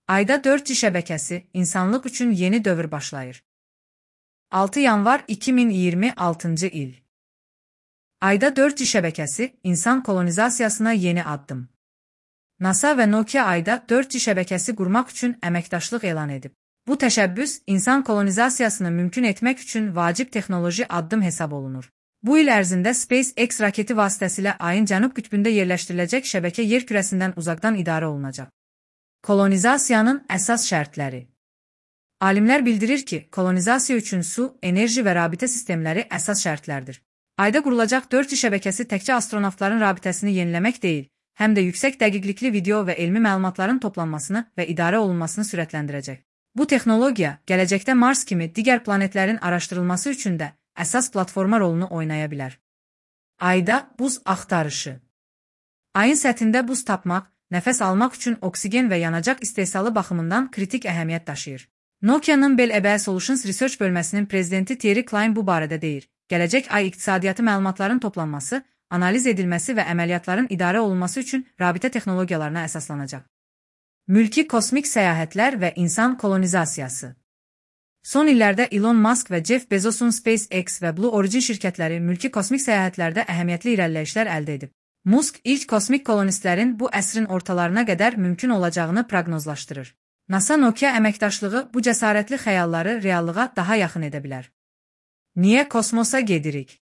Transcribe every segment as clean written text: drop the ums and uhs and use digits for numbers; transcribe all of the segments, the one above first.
Ayda 4G şəbəkəsi, insanlıq üçün yeni dövr başlayır. 6 yanvar 2026 il. Ayda 4G şəbəkəsi, insan kolonizasiyasına yeni addım. NASA və Nokia ayda 4G şəbəkəsi qurmaq üçün əməkdaşlıq elan edib. Bu təşəbbüs, insan kolonizasiyasını mümkün etmək üçün vacib texnoloji addım hesab olunur. Bu il ərzində SpaceX raketi vasitəsilə ayın cənub qütbündə yerləşdiriləcək şəbəkə yer kürəsindən uzaqdan idarə olunacaq. Kolonizasiyanın əsas şərtləri. Alimlər bildirir ki, kolonizasiya üçün su, enerji və rabitə sistemləri əsas şərtlərdir. Ayda qurulacaq 4G şəbəkəsi təkcə astronavtların rabitəsini yeniləmək deyil, həm də yüksək dəqiqlikli video və elmi məlumatların toplanmasını və idarə olunmasını sürətləndirəcək. Bu texnologiya, gələcəkdə Mars kimi digər planetlərin araşdırılması üçün də əsas platforma rolunu oynaya bilər. Ayda buz axtarışı. Ayın səthində buz tapmaq, nəfəs almaq üçün oksigen və yanacaq istehsalı baxımından kritik əhəmiyyət daşıyır. Nokia'nın Bell EBS Solutions Research bölməsinin prezidenti Thierry Klein bu barədə deyir. Gələcək ay iqtisadiyyatı məlumatların toplanması, analiz edilməsi və əməliyyatların idarə olunması üçün rabitə texnologiyalarına əsaslanacaq. Mülki kosmik səyahətlər və insan kolonizasiyası. Son illərdə Elon Musk və Jeff Bezos'un SpaceX və Blue Origin şirkətləri mülki kosmik səyahətlərdə əhəmiyyətli irəliləyişlər əldə edib. Musk ilk kosmik kolonistlərin bu əsrin ortalarına qədər mümkün olacağını proqnozlaşdırır. NASA-Nokia əməkdaşlığı bu cəsarətli xəyalları reallığa daha yaxın edə bilər. Niyə kosmosa gedirik?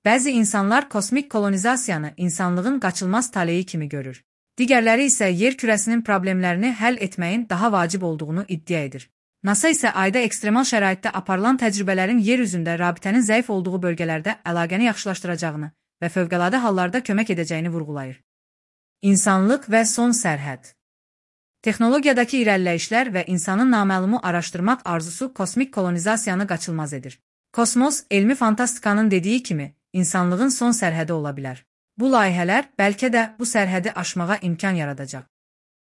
Bəzi insanlar kosmik kolonizasiyanı insanlığın qaçılmaz taleyi kimi görür. Digərləri isə yer kürəsinin problemlərini həll etməyin daha vacib olduğunu iddia edir. NASA isə ayda ekstremal şəraitdə aparılan təcrübələrin yer üzündə rabitənin zəif olduğu bölgələrdə əlaqəni yaxşılaşdıracağını və fövqəladə hallarda kömək edəcəyini vurğulayır. İnsanlıq və son sərhəd. Texnologiyadakı irəliləyişlər və insanın naməlumu araşdırmaq arzusu kosmik kolonizasiyanı qaçılmaz edir. Kosmos, elmi fantastikanın dediyi kimi, insanlığın son sərhədi ola bilər. Bu layihələr bəlkə də bu sərhədi aşmağa imkan yaradacaq.